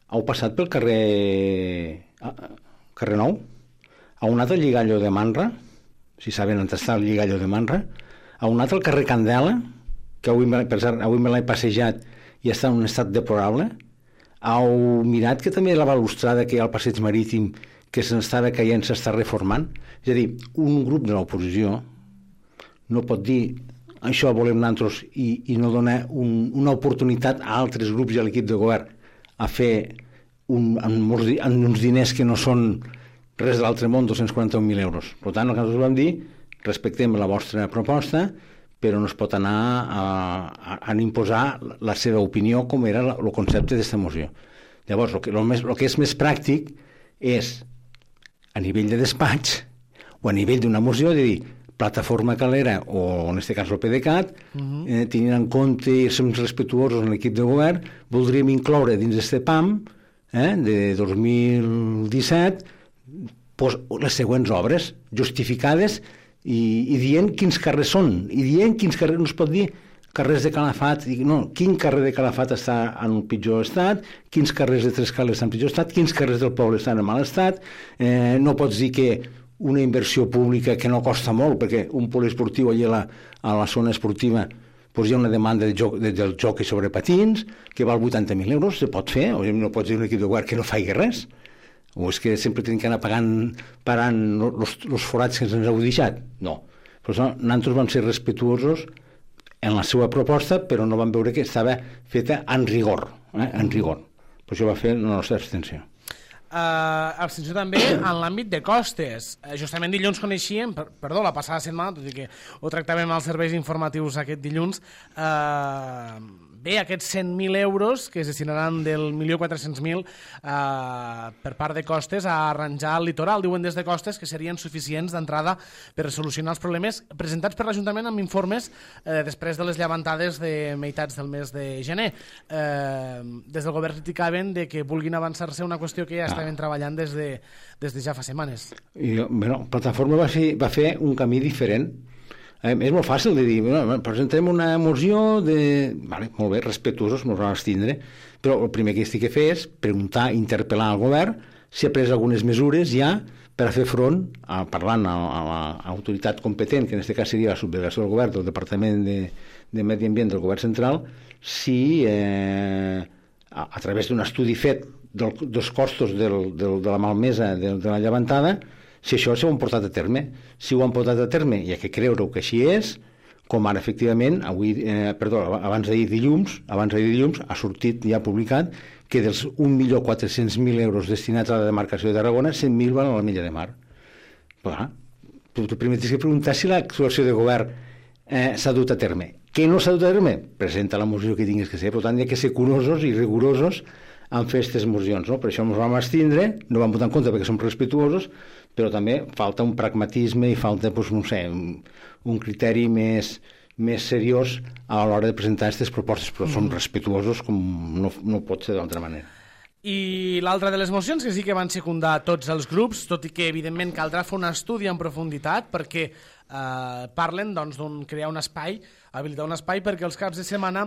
heu passat pel carrer carrer Nou? Heu anat al Lligallo de Manra? Si saben on està el Lligallo de Manra? Heu anat al carrer Candela? Que avui, per cert, avui me l'he passejat i està en un estat deplorable? Heu mirat que també la balustrada que hi ha al passeig marítim que s'estava caient s'està reformant? És a dir, un grup de l'oposició no pot dir això volem nosaltres i, i no donar un, una oportunitat a altres grups i a l'equip de govern a fer un, amb, amb uns diners que no són res de l'altre món, dos-cents quaranta-un mil euros. Per tant, el que nosaltres vam dir, respectem la vostra proposta, però no es pot anar a, a, a imposar la seva opinió com era la, el concepte d'aquesta moció. Llavors, el que, el, més, el que és més pràctic és a nivell de despatx o a nivell d'una moció, de dir, Plataforma Calera o en aquest cas el PDeCAT, uh-huh. eh, tenint en compte i som respectuosos en l'equip de govern, voldríem incloure dins d'aquest P A M eh, de dos mil disset pues, les següents obres, justificades i, i dient quins carrers són, i dient quins carrers, no es pot dir carrers de Calafat, no, quin carrer de Calafat està en un pitjor estat, quins carrers de Trescales estan en pitjor estat, quins carrers del poble estan en mal estat, eh, no pots dir que una inversió pública que no costa molt, perquè un poliesportiu allà a la, a la zona esportiva doncs hi ha una demanda de joc, de, del joc sobre patins que val vuitanta mil euros, se pot fer, o no pots dir un equip de govern que no faci res, o és que sempre tenim que anar pagant, parant els forats que ens heu deixat. No. Per això nosaltres vam ser respetuosos en la seva proposta, però no vam veure que estava feta en rigor, eh? en rigor. Per això va fer la nostra abstenció. Uh, abstenció també en l'àmbit de costes. Uh, justament dilluns coneixíem, per, perdó, la passada setmana, tot i que ho tractàvem als serveis informatius aquest dilluns, uh, bé, aquests cent mil euros que es destinaran del milió quatre-cents mil uh, per part de costes a arranjar el litoral. Diuen des de costes que serien suficients d'entrada per solucionar els problemes presentats per l'Ajuntament amb informes uh, després de les llevantades de meitats del mes de gener. Uh, des del govern criticaven de que vulguin avançar-se una qüestió que ja ah. estaven treballant des de, des de ja fa setmanes. I, bueno, Plataforma va fer, va fer un camí diferent. Eh, és molt fàcil de dir, bueno, presentem una moció de... Vale, molt bé, respetuosos, ens vam abstindre, però el primer que estic a fer és preguntar, interpel·lar al govern si ha pres algunes mesures ja per a fer front, a, parlant a, a l'autoritat competent, que en aquest cas seria la subdelegació del govern, del Departament de, de Medi Ambient del Govern Central, si eh, a, a través d'un estudi fet del, dels costos del, del, de la malmesa de, de la llevantada, si això s'ho han portat a terme. Si ho han portat a terme, hi ha que creure que així és, com ara, efectivament, avui, eh, perdó, abans d'ahir dilluns, abans d'ahir dilluns, ha sortit, ja publicat, que dels un milió quatre-cents mil euros destinats a la demarcació de Tarragona, cent mil van a la Mella de Mar. Clar, tu, tu primer tens que preguntar si l'actuació de govern eh, s'ha dut a terme. Què no s'ha dut a terme? Presenta la moció que tinguis que ser, per tant, hi ha que ser curosos i rigorosos en fer aquestes mocions, no? Per això ens vam abstindre, no vam votar en compte perquè som respetuosos, però també falta un pragmatisme i falta, doncs, no sé, un, un criteri més, més seriós a l'hora de presentar aquestes propostes, però mm. som respetuosos com no, no pot ser d'altra manera. I l'altra de les mocions, que sí que van secundar tots els grups, tot i que evidentment caldrà fer un estudi en profunditat, perquè eh, parlen doncs, d'un crear un espai, habilitar un espai perquè els caps de setmana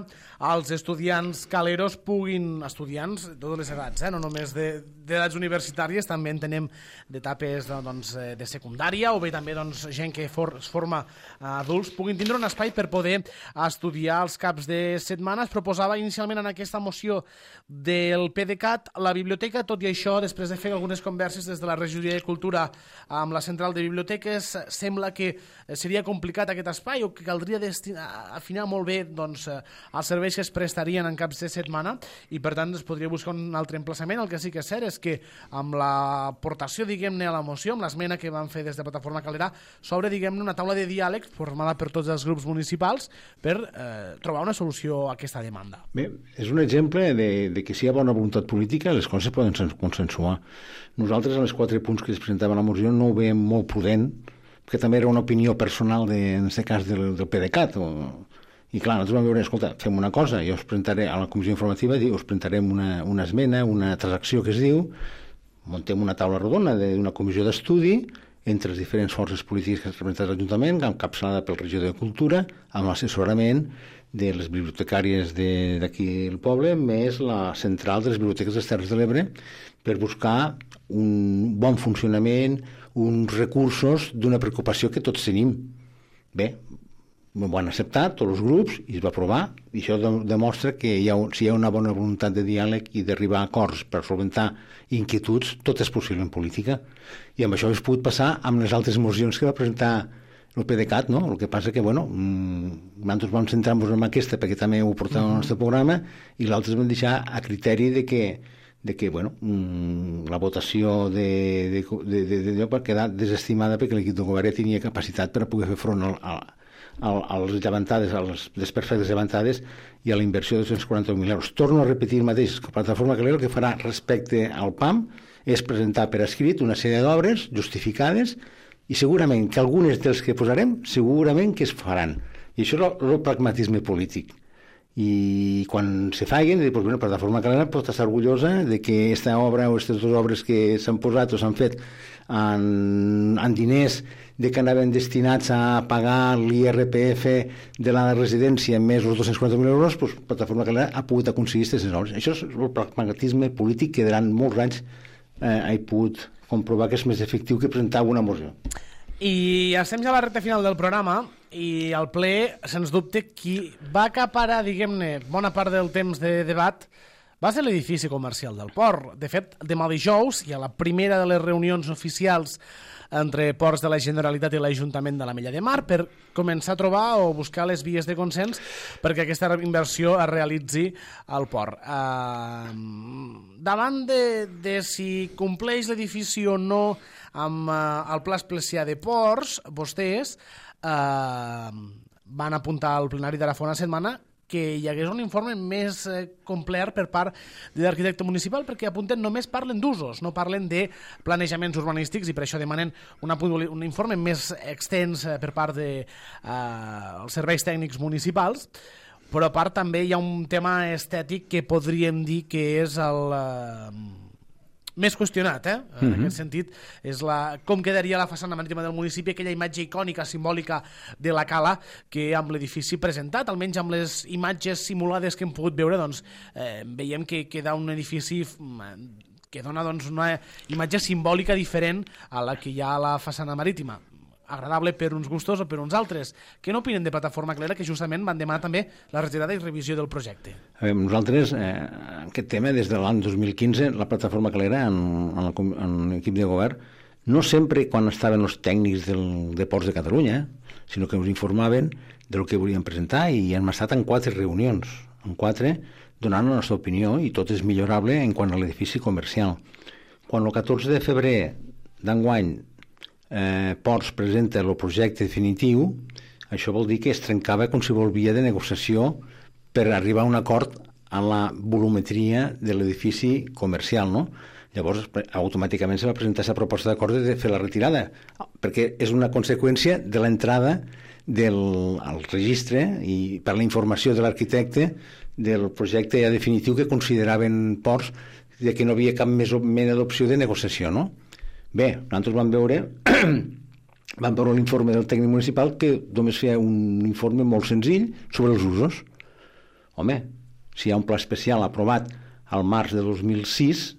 els estudiants caleros puguin, estudiants de totes les edats, eh? No només d'edats universitàries, també en tenem d'etapes doncs, de secundària o bé també doncs, gent que for, es forma adults, puguin tindre un espai per poder estudiar els caps de setmana. Es proposava inicialment en aquesta moció del PDeCAT la biblioteca, tot i això, després de fer algunes converses des de la Regidoria de Cultura amb la Central de Biblioteques, sembla que seria complicat aquest espai o que caldria destinar afinar molt bé doncs, els serveis que es prestarien en caps de setmana i per tant es podria buscar un altre emplaçament. El que sí que és cert és que amb l'aportació, diguem-ne, a la moció, amb l'esmena que van fer des de Plataforma Calera, s'obre, diguem-ne, una taula de diàleg formada per tots els grups municipals per eh, trobar una solució a aquesta demanda. Bé, és un exemple de, de que si hi ha bona voluntat política les coses poden consensuar. Nosaltres, en els quatre punts que es presentaven a la moció, no ho veiem molt prudent, que també era una opinió personal, de, en aquest cas, del, del PDeCAT. O... I clar, nosaltres vam veure, escolta, fem una cosa, jo us presentaré a la comissió informativa, us presentarem una, una esmena, una transacció que es diu, muntem una taula rodona d'una comissió d'estudi entre les diferents forces polítiques que representen l'Ajuntament, encapçalada pel regidor de Cultura, amb l'assessorament de les bibliotecàries d'aquí del poble, més la central de les biblioteques de les Terres de l'Ebre, per buscar un bon funcionament, uns recursos d'una preocupació que tots tenim. Bé, ho van acceptar tots els grups i es va aprovar, i això demostra que hi ha, si hi ha una bona voluntat de diàleg i d'arribar a acords per solventar inquietuds, tot és possible en política. I amb això hauria pogut passar amb les altres mocions que va presentar el PDeCAT, no? El que passa que, bueno, nosaltres vam centrar-nos en aquesta perquè també ho portàvem al nostre programa i l'altre vam deixar a criteri de que de que, bueno, la votació de, de, de, de, de, de va quedar desestimada perquè l'equip de govern tenia capacitat per a poder fer front al, al, a les llevantades, a les desperfectes llevantades i a la inversió de dos cents quaranta mil euros. Torno a repetir el mateix, que Plataforma Calera el que farà respecte al P A M és presentar per escrit una sèrie d'obres justificades i segurament que algunes dels que posarem segurament que es faran. I això és el, el pragmatisme polític. I quan se faguen, doncs, bueno, Plataforma Calera pot estar orgullosa de que aquesta obra o aquestes dues obres que s'han posat o s'han fet en, en diners de que anaven destinats a pagar l'I R P F de la residència més els dos-cents quaranta mil euros, doncs, Plataforma Calera ha pogut aconseguir aquestes obres. Això és el pragmatisme polític que durant molts anys eh, he pogut comprovar que és més efectiu que presentar una moció. I estem ja a la recta final del programa i al ple, sens dubte, qui va acaparar, diguem-ne, bona part del temps de debat va ser l'edifici comercial del port. De fet, demà dijous, i a la primera de les reunions oficials entre Ports de la Generalitat i l'Ajuntament de l'Ametlla de Mar, per començar a trobar o buscar les vies de consens perquè aquesta inversió es realitzi al port. Uh, davant de, de si compleix l'edifici o no amb uh, el Pla Especial de Ports, vostès uh, van apuntar al plenari d'ara fa una setmana que hi hagués un informe més eh, complet per part de l'arquitecte municipal, perquè apunten només parlen d'usos, no parlen de planejaments urbanístics, i per això demanen una, un informe més extens eh, per part dels eh, serveis tècnics municipals, però a part també hi ha un tema estètic que podríem dir que és el... Eh, més qüestionat, eh? En mm-hmm. aquest sentit, és la, com quedaria la façana marítima del municipi, aquella imatge icònica, simbòlica de la cala que amb l'edifici presentat, almenys amb les imatges simulades que hem pogut veure, doncs, eh, veiem que queda un edifici que dona doncs, una imatge simbòlica diferent a la que hi ha a la façana marítima. Agradable per uns gustos o per uns altres. Què n'opinen de Plataforma Calera, que justament van demanar també la retirada i revisió del projecte? A veure, nosaltres, eh, aquest tema, des de l'any dos mil quinze, la Plataforma Calera, en, en, en l'equip de govern, no sempre quan estaven els tècnics del, de Ports de Catalunya, sinó que ens informaven del que volien presentar, i hem estat en quatre reunions, en quatre, donant la nostra opinió, i tot és millorable en quant a l'edifici comercial. Quan el catorze de febrer d'enguany Eh, Ports presenta el projecte definitiu, això vol dir que es trencava qualsevol via de negociació per arribar a un acord a la volumetria de l'edifici comercial, no? Llavors, automàticament se va presentar aquesta proposta d'acord de fer la retirada, perquè és una conseqüència de l'entrada del al registre i per la informació de l'arquitecte del projecte ja definitiu que consideraven Ports de que no havia cap més mena d'opció de negociació, no? Bé, nosaltres vam veure vam veure l'informe del tècnic municipal que només feia un informe molt senzill sobre els usos. Home, si hi ha un pla especial aprovat al març de dos mil sis,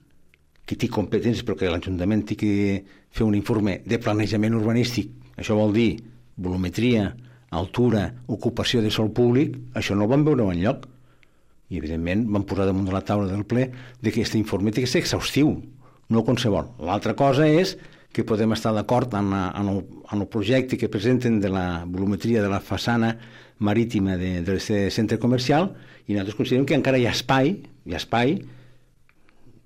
que té competències però que l'Ajuntament té que fer un informe de planejament urbanístic, això vol dir volumetria, altura, ocupació de sòl públic, això no ho vam veure enlloc. I evidentment vam posar damunt de la taula del ple de que aquest informe té que ser exhaustiu, no qualsevol. L'altra cosa és que podem estar d'acord en, en, el, en el projecte que presenten de la volumetria de la façana marítima d'aquest centre comercial, i nosaltres considerem que encara hi ha espai, hi ha espai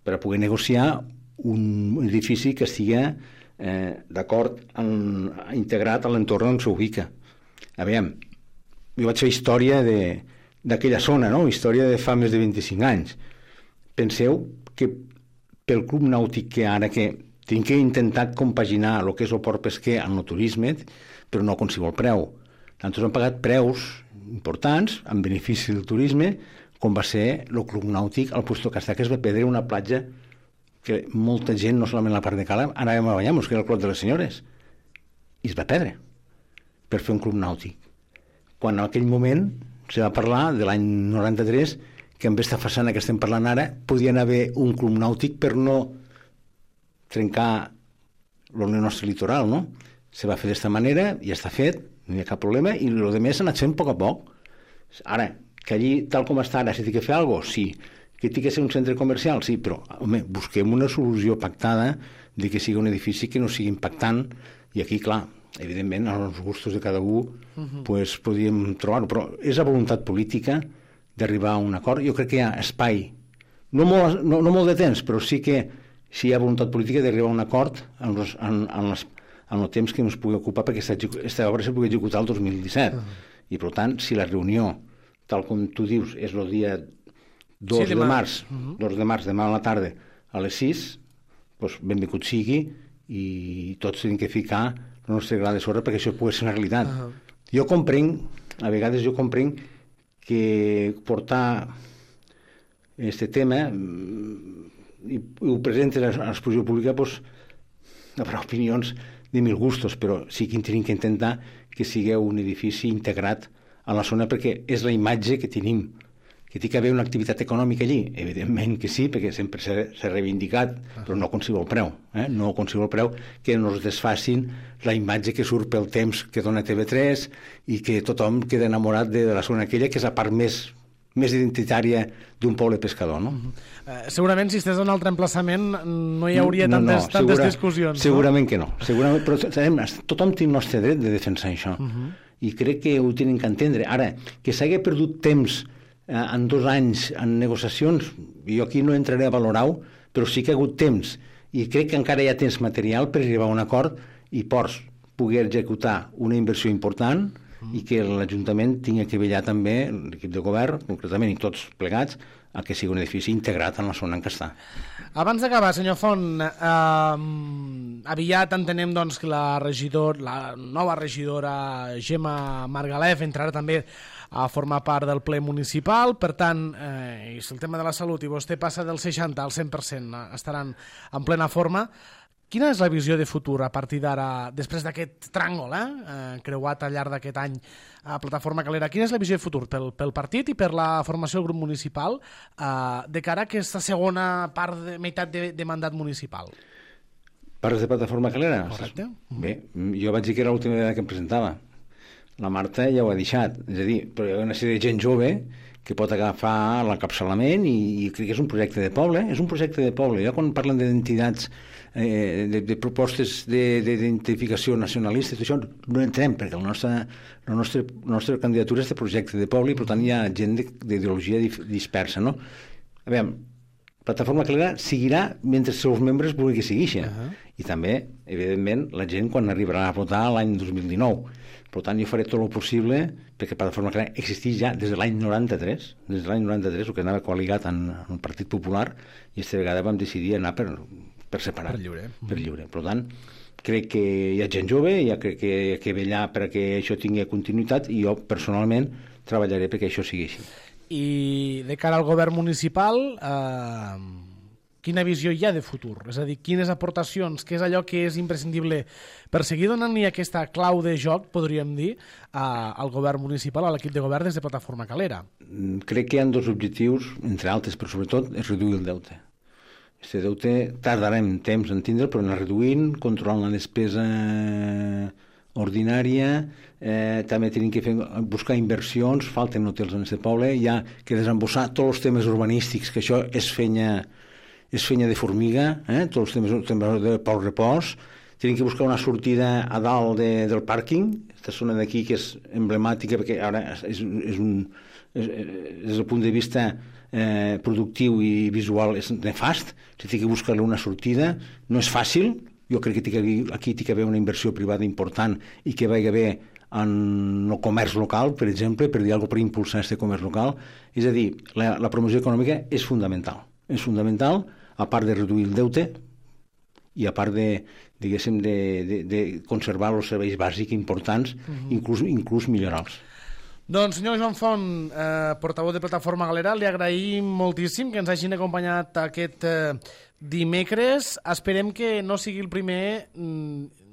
per a poder negociar un edifici que estigui eh, d'acord, integrat a l'entorn on s'ubica. A veure, jo vaig fer història d'aquella zona, no? Història de fa més de vint-i-cinc anys. Penseu que pel club nàutic que ara que tinc que intentar compaginar el que és el port pesquer amb el turisme, però no a qualsevol preu. Nosaltres hem pagat preus importants en benefici del turisme, com va ser el club nàutic al Puesto Castà, que es va perdre una platja que molta gent, no solament la part de cala, anàvem a banyar-nos, que era el Clot de les Senyores, i es va perdre per fer un club nàutic. Quan en aquell moment se va parlar de l'any noranta-tres que amb aquesta façana que estem parlant ara podien haver un club nàutic per no trencar el nostre litoral, no? Se va fer d'esta manera, ja està fet, no hi ha cap problema, i el que més s'ha anat fent a poc a poc. Ara, que allí, tal com està ara, s'ha de fer alguna cosa? Sí. Que tingui que ser un centre comercial? Sí, però, home, busquem una solució pactada de que sigui un edifici que no sigui impactant, i aquí, clar, evidentment, als gustos de cada un, uh-huh. pues, podríem trobar-ho, però és la voluntat política d'arribar a un acord. Jo crec que hi ha espai, no molt, no, no molt de temps, però sí que si hi ha voluntat política d'arribar a un acord en, los, en, en, les, en el temps que ens pugui ocupar perquè aquesta obra se pugui executar el dos mil disset. Uh-huh. I, per tant, si la reunió, tal com tu dius, és el dia dos sí, de març, uh-huh. dos de març, demà a la tarda, a les sis, doncs benvingut sigui, i tots hem de ficar el nostre gra de sorra perquè això pugui ser una realitat. Uh-huh. Jo comprenc, a vegades jo comprenc que portar este tema i ho presenten a l'exposició pública, doncs, hi haurà opinions de mil gustos, però sí que tenim que intentar que sigui un edifici integrat a la zona, perquè és la imatge que tenim. Que té que haver una activitat econòmica allí? Evidentment que sí, perquè sempre s'ha reivindicat, però no a qualsevol preu. Eh? No a qualsevol preu que no es desfacin la imatge que surt pel temps que dona T V tres i que tothom queda enamorat de la zona aquella, que és la part més, més identitària d'un poble pescador. No? Uh, segurament, si estàs en un altre emplaçament, no hi hauria no, tantes, no, tantes segura, discussions. Segurament no? que no. Segurament, però sabem, tothom té el nostre dret de defensar això. Uh -huh. I crec que ho tenen que entendre. Ara, que s'hagi perdut temps en dos anys en negociacions, jo aquí no entraré a valorar-ho, però sí que ha hagut temps, i crec que encara hi ha temps material per arribar a un acord i Ports pugui executar una inversió important mm. i que l'Ajuntament tingui que vetllar també, l'equip de govern, concretament, i tots plegats, a que sigui un edifici integrat en la zona en què està. Abans d'acabar, senyor Font, eh, aviat entenem doncs, que la, regidor, la nova regidora Gemma Margalef entrarà també a formar part del ple municipal, per tant, eh, el tema de la salut, i vostè passa del seixanta al cent per cent, estaran en plena forma. Quina és la visió de futur a partir d'ara, després d'aquest tràngol eh, eh, creuat al llarg d'aquest any a Plataforma Calera? Quina és la visió de futur pel, pel partit i per la formació del grup municipal eh, de cara a aquesta segona part de meitat de, de mandat municipal? Parles de Plataforma Calera? Correcte. Bé, jo vaig dir que era l'última vegada que em presentava. La Marta ja ho ha deixat, és a dir, però hi ha una sèrie de gent jove que pot agafar l'encapçalament i, i crec que és un projecte de poble, és un projecte de poble. Ja quan parlen d'identitats, eh, de, de propostes d'identificació nacionalistes, això no entrem, perquè el nostre, la, nostra, la nostra candidatura és de projecte de poble i per tant hi ha gent d'ideologia dispersa, no? A veure, Plataforma Calera seguirà mentre els seus membres vulguin que sigui això. Uh -huh. I també, evidentment, la gent quan arribarà a votar l'any dos mil dinou. Per tant, jo faré tot el possible perquè Plataforma Calera existeix ja des de l'any noranta-tres, des de l'any noranta-tres, el que anava coaligat en, en el Partit Popular, i aquesta vegada vam decidir anar per, per separat. Per lliure. Per lliure. Per tant, crec que hi ha gent jove, hi ha que, que, que vetllar perquè això tingui continuïtat, i jo, personalment, treballaré perquè això sigui així. I de cara al govern municipal, eh, quina visió hi ha de futur? És a dir, quines aportacions, què és allò que és imprescindible per seguir donant-li aquesta clau de joc, podríem dir, a, al govern municipal, a l'equip de govern des de Plataforma Calera? Crec que hi ha dos objectius, entre altres, però sobretot és reduir el deute. Aquest deute tardarem temps en tindre, però anar reduint, controlant la despesa ordinària, eh, també tenim que fer, buscar inversions, falten hotels en aquest poble, hi ha que desembossar tots els temes urbanístics, que això és fenya, és fenya de formiga, eh? Tots els temes, temes de Pol Repòs, tenim que buscar una sortida a dalt de, del pàrquing, aquesta zona d'aquí que és emblemàtica, perquè ara és, és un, és, des del punt de vista eh, productiu i visual és nefast, s'ha de buscar-li una sortida, no és fàcil. Jo crec que aquí hi ha d'haver una inversió privada important i que vagi haver en el comerç local, per exemple, per dir alguna cosa per impulsar aquest comerç local. És a dir, la, la promoció econòmica és fundamental. És fundamental, a part de reduir el deute i a part de, diguéssim, de, de, de conservar els serveis bàsics importants, uh-huh. inclús, inclús millorar-los. Doncs, senyor Joan Font, eh, portaveu de Plataforma Galera, li agraïm moltíssim que ens hagin acompanyat aquest eh, dimecres. Esperem que no sigui el primer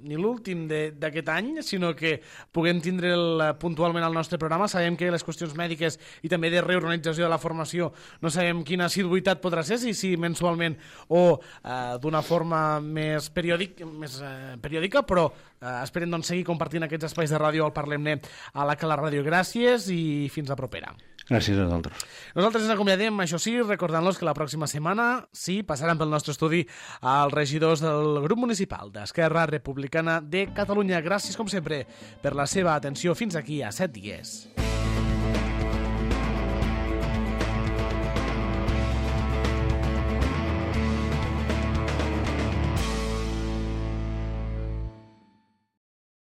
ni l'últim d'aquest any, sinó que puguem tindre'l puntualment al nostre programa. Sabem que les qüestions mèdiques i també de reorganització de la formació no sabem quina assiduïtat podrà ser, si, si mensualment o eh, d'una forma més, periòdic, més eh, periòdica, però eh, esperem doncs, seguir compartint aquests espais de ràdio al Parlem-ne a la Cala Ràdio. Gràcies i fins la propera. Gràcies a vosaltres. Nosaltres ens acomiadem, això sí, recordant-los que la pròxima setmana sí, passaran pel nostre estudi els regidors del grup municipal d'Esquerra Republicana de Catalunya. Gràcies, com sempre, per la seva atenció. Fins aquí a set dies.